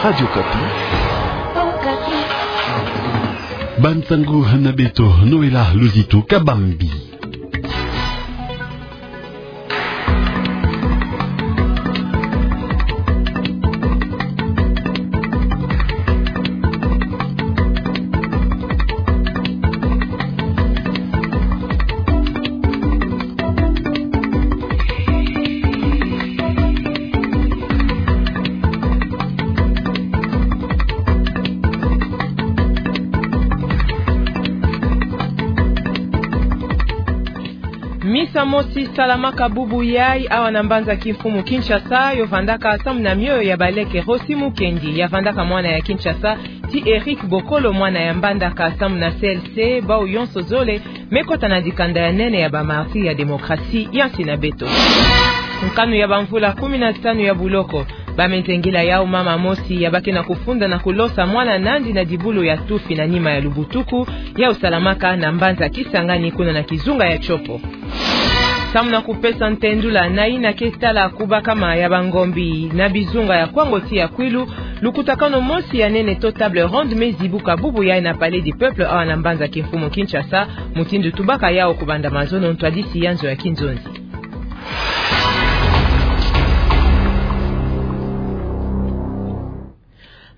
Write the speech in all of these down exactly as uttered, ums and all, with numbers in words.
Radio Okapi. Bansango na beto, Noëlla Luzitu Kabambi. Misa mosi salamaka bubu yai awa na mbanza kimfumu Kinshasa, yo vandaka samu na mioyo ya baleke. Rossy Mukendi, ya vandaka mwana ya Kinshasa, ti Eric Bokolo, mwana ya Mbandaka, samu na C L C, bau yonso zole me kota na dikanda ya nene ya ba martyrs ya démocratie ya nsi na beto. Nkanu ya bamvula kumi na tanu ya buloko. Bamezengila yau mama mosi ya bake na kufunda na kulosa mwana nandi na dibulu ya tufi na nima ya lubutuku, yau salamaka na mbanza Kisangani, kuna na kizunga ya Tshopo. Samu na kupesa ntendula na yina ke tala kubakama ya bangombi na bizunga ya Kwango ti ya Kwilu, lukutakanu mosi ya nene to table ronde me zibuka bubu yai na Palais du Peuple awa na mbanza kimfumu Kinshasa, mutindu tubaka yau kubanda mazono, ntwadisi ya nzo ya kinzonzi.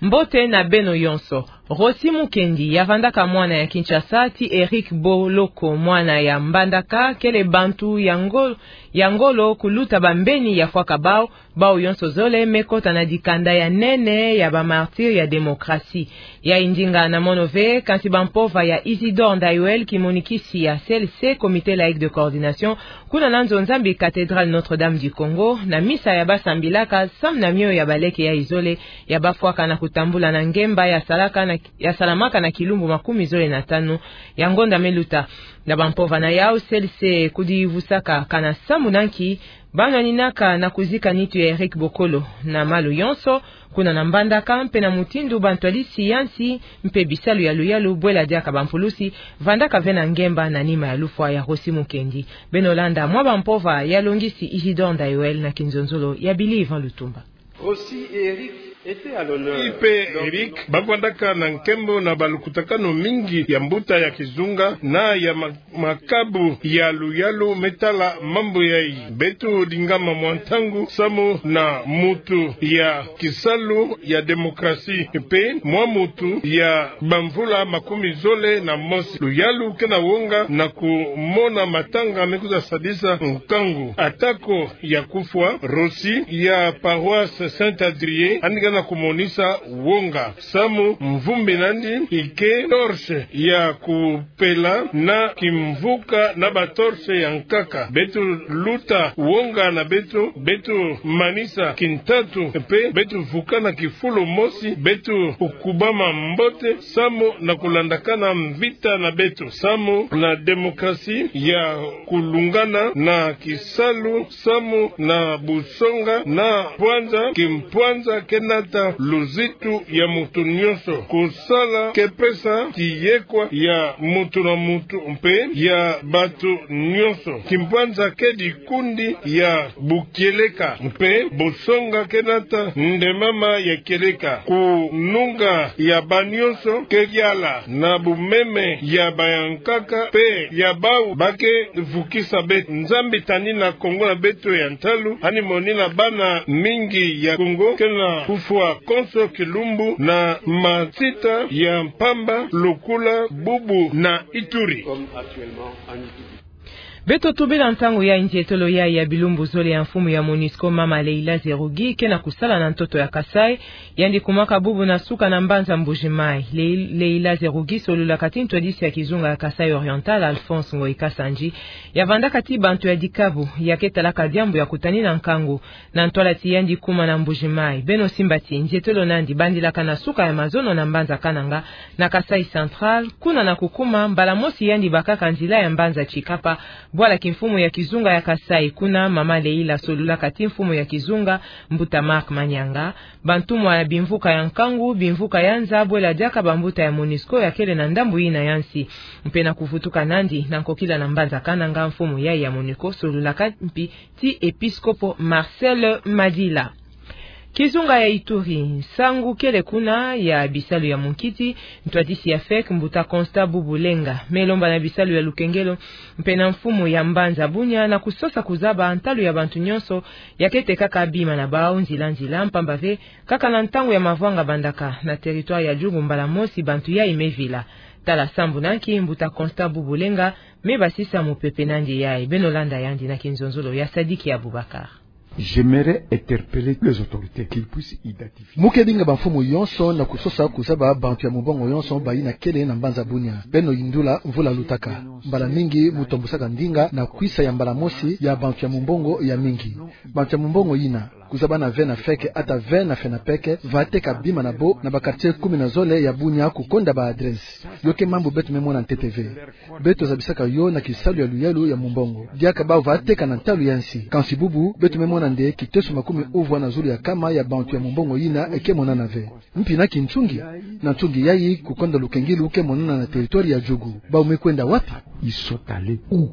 Mbote na beno yonso. Rossy Mukendi, ya vandaka mwana ya Kinshasa, ti Eric Boloko, mwana ya Mbandaka, kele bantu ya ngolo, ya ngolo kuluta bambeni ya fwaka bau, bau yonso zole me kota na dikanda ya nene ya ba martyrs ya démocratie. Yai ndinga na mono ve, kansi bampova ya Isidore Ndayuel, kimonikisi ya C L C, Comité laïque de coordination, kuna na nzo Nzambi, cathédrale Notre-Dame du Congo, na misa ya basambilaka samu na mioyo ya baleke yai zole ya bafwaka na kutambula na ngemba ya salaka na, ya salamaka na kilumbu makumi zole na tanu ya ngonda me luta. Na bampova na yau, C L C kudivusaka kana samu na nki banwaninaka na kuzika nitu ya Eric Bokolo na malu yonso, kuna na Mbandaka, mpe na mutindu bantwadisi ya nsi mpe bisalu ya luyalu, bwela diaka bampulusi, vandaka ve na ngemba na nima ya lufwa ya Rossy Mukendi. Beno landa mwa bampova ya longisi Isidore Ndayuel na kinzonzolo ya Billy Yvan Lutumba. Rossy et Eric étaient à l'honneur. Ipe Eric bavandaka na nkembo na balukutakanu mingi ya mbuta ya kizunga na ya ma-, makabu ya luyalu me tala mambu yai. Beto dingama mwa ntangu samu na mutu ya kisalu ya démocratie, mpe mwa mutu ya bamvula makumi zole na mosi. Luyalu ke na wonga na kumona matanga me kwiza sadisa nkangu. Atako ya kufwa, Rossy ya paroisse Saint-Adrien, yandi ke na kumonisa wonga. Samu mvumbi nandi ike torche ya kupela na kimvuka na ba torche ya nkaka. Beto luta wonga na beto, beto manisa kintatu, mpe beto vuka na kifulu mosi, beto kubama mbote, samu na kulandakana mvita na beto, samu na démocratie ya kulungana na kisalu, samu na busonga na mpwanza, kimpwanza ke nata luzitu ya mutu nyonso. Kusala ke pesa kiyekwa ya mutu na mutu mpe ya bato nyonso. Kimpwanza ke dikundi ya bukieleka, mpe busonga ke nata ndemama ya kieleka. Kununga ya banyonso ke kiala na bumeme ya bayankaka mpe ya bau ba ke vukisa beto. Nzambi tani na Kongo na beto ya ntalu, yandi moni na bana mingi ya Kongo ke na kufwa konso kilumbu na matita ya mpamba, lokola bubu na Ituri. Beto tubila ntangu ya nzietolo ya, ya bilumbu zole ya mfumu ya MONUSCO, mama Leila Zerrougui, ke na kusala na ntoto ya Kasaï. Yandi kumaka bubu na suka na mbanza Mbuji-Mayi. Le-, Leila Zerrougui solulaka ti ntwadisi ya kizunga ya Kasaï Oriental, Alphonse Ngoyi Kasanji, ya vandaka ti bantu ya dikabu, ya ke talaka diambu ya kutani na nkangu. Na ntwala ti yandi kuma na Mbuji-Mayi, beno simba ti nzietolo nandi bandilaka na suka ya mazono na mbanza Kananga, na Kasaï Central, kuna na kukuma mbala mosi yandi bakaka nzila ya mbanza Tshikapa, bwala kimfumu ya kizunga ya Kasaï. Kuna mama Leila solulaka ti mfumu ya kizunga, mbuta Marc Manianga, bantumwa ya bimvuka ya nkangu, bimvuka ya nza, bwela diaka bambuta ya MONUSCO ya kele na ndambu yina ya nsi. Mpe na kuvutuka nandi na nkokila na mbanza Kananga, mfumu yai ya MONUSCO solulaka mpi ti episkopo Marcel Madila. Kizunga ya Ituri, nsangu kele kuna ya bisalu ya munkiti, ntwadisi ya fek, mbuta Constant Bubu Lenga, me lomba na bisalu ya lukengelo, mpe na mfumu ya mbanza Bunia, na kusosa kuzaba ntalu ya bantu nyonso ya kete kaka bima na bau nzila nzila, mpamba ve kaka na ntangu ya mavwanga bandaka na territoire ya Djugu mbala mosi bantu yai me vila. Tala sambu na nki mbuta Constant Bubu Lenga me basisa mupepe nandi yai. Beno landa yandi na kinzonzolo ya Sadiki Abubakar. J'aimerais interpeller les autorités qu'ils puissent identifier. Mu ke dinga bamfumu yonso na kusosa kuzaba bantu ya mumbongo yonso bayina kele na mbanza Bunia. Beno yindula mvula lutaka. Mbala mingi mu tombusaka ndinga na kwisa ya mbala mosi ya bantu ya mumbongo ya mingi. Bantu ya mumbongo yina, kuzabana ve na fek ata ve na fenapek, va teka bima na bo na ba quartier kumi na zole ya Bunia kukonda ba adresse. Yo ke mambu beto me mona ntete ve. Beto zabisaka yo na kisalu ya luyalu ya mumbongo. Diaka bau va teka na ntalu ya nsi. Kansi bubu, beto me mona nde kiteso makumi uvwa na zulu ya kama ya bantu ya mumbongo yina e ke monana ve. Mpi na kinsungi, na nsungi yai kukonda lukengilu ke monana na territoire ya Djugu. Bau me kwenda wapi? Ils sont allés où?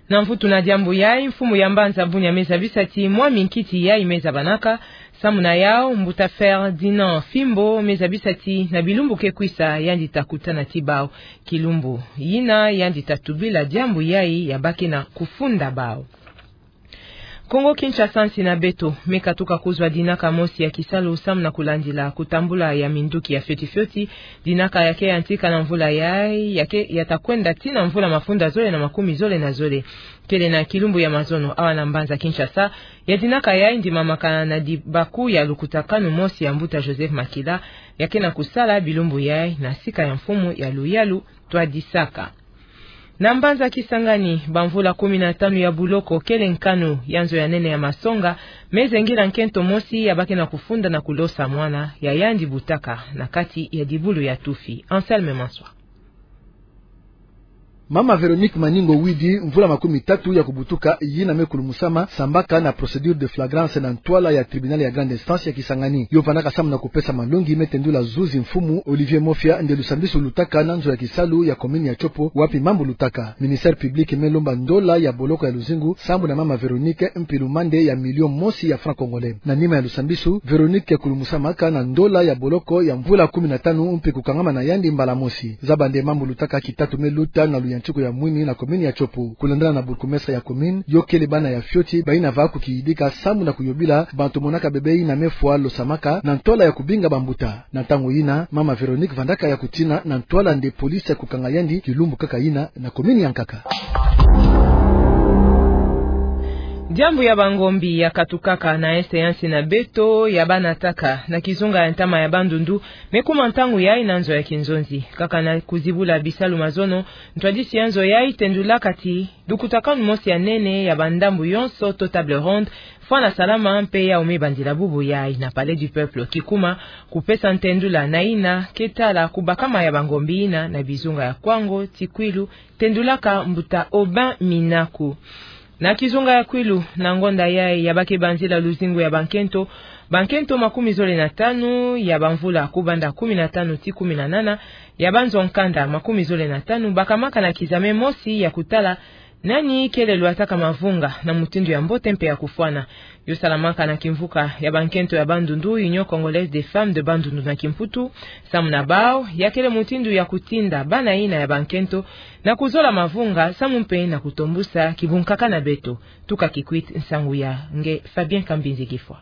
Na mvutu na diambu yai, mfumu ya mbanza Bunia me zabisa ti mwa minkiti yai me zabanaka. Samu na yau, mbuta Ferdinand Fimbo me zabisa ti na bilumbu ke kwisa yandi ta kutana ti bau. Kilumbu yina yandi ta tubila diambu yai ya ba ke na kufunda bau. Kongo Kinshasa, nsi na beto me katuka kuzwa dinaka mosi ya kisalu samu na kulandila kutambula ya minduki ya fioti fioti. Dinaka ya ke yantika na mvula yai, ya ke ya ta kwenda tii na mvula mafunda zole na makumi zole na zole. Kele na kilumbu ya mazono awa na mbanza Kinshasa, ya dinaka yai ndimamaka na dibaku ya lukutakanu mosi ya mbuta Joseph Makila, ya ke na kusala bilumbu yai na sika ya mfumu ya luyalu twadisaka. Na mbanza Kisangani, bamvula kumi na tanu ya buloko kele nkanu ya nzo ya nene ya masonga me zengila nkento mosi ya ba ke na kufunda na kulosa mwana ya yandi butaka na kati ya dibulu ya tufi. Anselme Manswa. Mama Véronique Maningo Widi, mvula makumi tatu ya kubutuka, yina me kulumusama sambaka na procédure de flagrance na ntwala ya tribunal ya grande instance ya Kisangani. Yo vandaka samu na kupesa malongi me tendula zuzi mfumu Olivier Mofia nde lusambisi lutaka na nzo ya kisalu ya commune ya Tshopo, wapi mambu lutaka. Ministère public me lomba ndola ya boloko ya luzingu sambu na mama Véronique, mpi lumande ya million mosi ya franc congolais. Na nima ya lusambisi, Véronique ke kulumusamaka na ndola ya boloko ya mvula kumi na tanu mpi kukangama na yandi mbala mosi. Zaba nde mambu lutaka kitatu me luta na luyantiku ya mwini na commune ya Tshopo. Kulandana na bourgmestre ya commune, yo kele bana ya fioti bayina va kukiyidika samu na kuyobila bantu monaka bebe yina me fwa losamaka na ntwala ya kubinga bambuta. Na ntangu yina, mama Véronique vandaka ya kutina na ntwala nde police ya kukanga yandi kilumbu kaka yina na commune ya nkaka. Diambu ya bangombi ya katukaka na est ya nsi na beto ya banataka na kizunga ya ntama ya Bandundu me kuma ntangu yai na nzo ya kinzonzi. Kaka na kuzibula bisalu mazono, ntwadisi ya nzo yai tendulaka ti lukutakanu mosi ya nene ya bandambu yonso to table ronde fwana salama mpe yau me bandila bubu yai na Palais du Peuple, kikuma kupesa ntendula na yina ke tala kubakama ya bangombi yina na bizunga ya Kwango ti Kwilu, tendulaka mbuta Aubin Minaku. Na kizunga ya Kwilu, na ngonda yai ya ba ke banzila luzingu ya bankento, bankento makumi zole na tanu ya bamvula kubanda kumi na tanu ti kumi na nana, ya banzo nkanda makumi zole na tanu, bakamaka na kizame mosi ya kutala nani kele lwataka mavunga na mutindu ya mbote mpe ya kufwana. Yo salamaka na kimvuka ya bankento ya Bandundu, Union Congolaise des Femmes de Bandundu na Kimputu. Samu na bau, ya kele mutindu ya kutinda bana yina ya bankento na kuzola mavunga samu mpe na kutombusa kibunkaka na beto. Tuka Kikwit, nsangu ya nge Fabien Kambinzi Gifwa.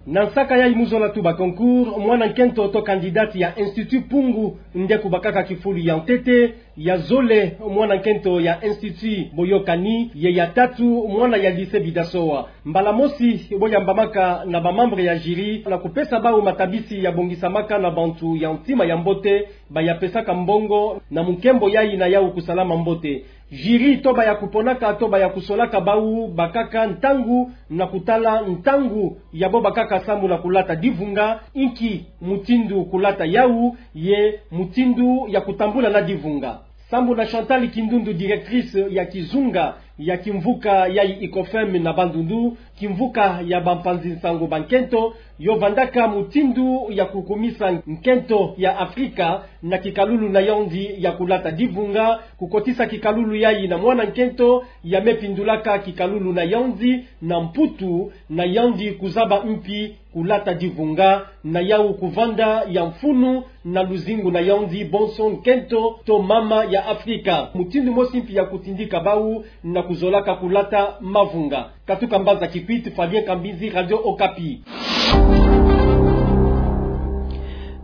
Na nsaka yai mu zola tuba concours, mwana nkento to candidate ya Institut Pungu nde kubakaka kifulu ya ntete, ya zole mwana nkento ya Institut Boyokani, ye ya tatu mwana ya Lycée Bidasoa. Mbala mosi bo yambamaka na ba membre ya jury na kupesa bau matabisi ya bongisamaka na bantu ya ntima ya mbote, ba ya pesaka mbongo na munkembo yai na yau kusalama mbote. Jury to ba ya kuponaka to ba ya kusolaka bau bakaka ntangu na kutala ntangu ya bo bakaka samu na kulata divunga, inki mutindu kulata yau, ye mutindu ya kutambula na divunga. Sambu na Chantal Kindundu, directrice ya kizunga Ya kimvuka yayi ICOFEM na Bandundu, kimvuka ya bampanzi nsango ba nkento, yo vandaka mutindu ya kukumisa nkento ya Afrika na kikalulu na yandi ya kulata divunga, kukotisa kikalulu yayi na mwana nkento ya me pindulaka kikalulu na yandi na Mputu, na yandi kuzaba mpi kulata divunga, na yau kuvanda ya mfunu na luzingu na yandi bonso nkento to mama ya Afrika. Mutindu mosi mpi ya kutindika bau na kuzolaka kulata mavunga. Katuka mbanza Kikwit, Fabien Kambinzi, Radio Okapi.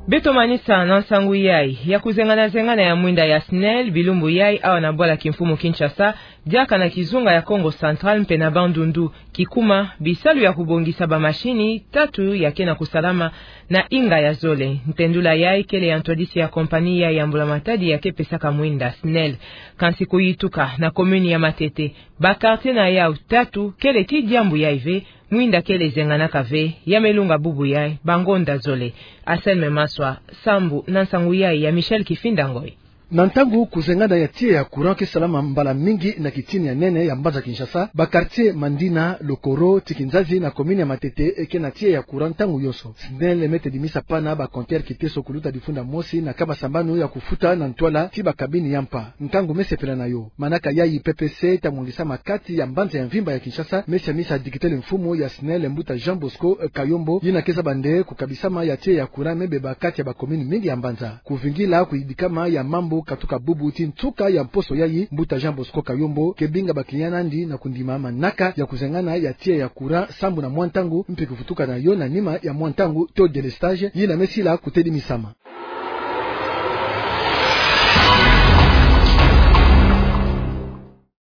Beto manisa na nsangu yayi ya kuzengana-zengana ya mwinda ya SNEL bilumbu yayi awa na bwala kimfumu Kinshasa, diaka na kizunga ya Kongo Central mpe na Bandundu, kikuma bisalu ya kubongisa bamashini tatu ya ke na kusalama na inga ya zole. Ntendula yayi kele ya ntwadisi ya kompani yayi ya mbula matadi ya ke pesaka mwinda, SNEL. Kansi kuyituka na commune ya Matete, ba quartier na yau tatu kele ti diambu yayi ve, mwinda kele zenganaka ve, ya me lunga bubu yayi bangonda zole. Anselme Maswa, sambu na nsangu yayi ya Michel Kifinda Ngoy. Na ntangu kuzengana ya tiya ya courant ke salama mbala mingi na kitini ya nene ya mbanza Kinshasa, ba quartier Mandina, Lokoro, Tikinzazi na commune ya Matete ke na tiya ya courant ntangu yonso. SNEL me tedimisa pana ba compteur Kiteso kuluta difunda mosi na kaba sambanu ya kufuta na ntwala ti ba cabine ya mpa. Nkangu me sepela na yo. Manaka yayi PPC ta mwangisa makati ya mbanza ya mvimba ya Kinshasa, me siamisa dikitele mfumu ya SNEL mbuta Jean Bosco, eh, Kayombo, yina ke zaba nde kukabisama ya tiya ya courant me beba kati ya ba commune mingi ya mbanza. Kuvingila kuyidikama ya mambu katuka bubu ti nsuka ya mposo yayi, mbuta Jean Bosco Kayombo ke binga ba client na yandi na kundima manaka ya kuzengana ya tiya ya courant sambu na mwa ntangu, mpi kuvutuka na yo na nima ya mwa ntangu to délestage, yina me sila kutedimisama.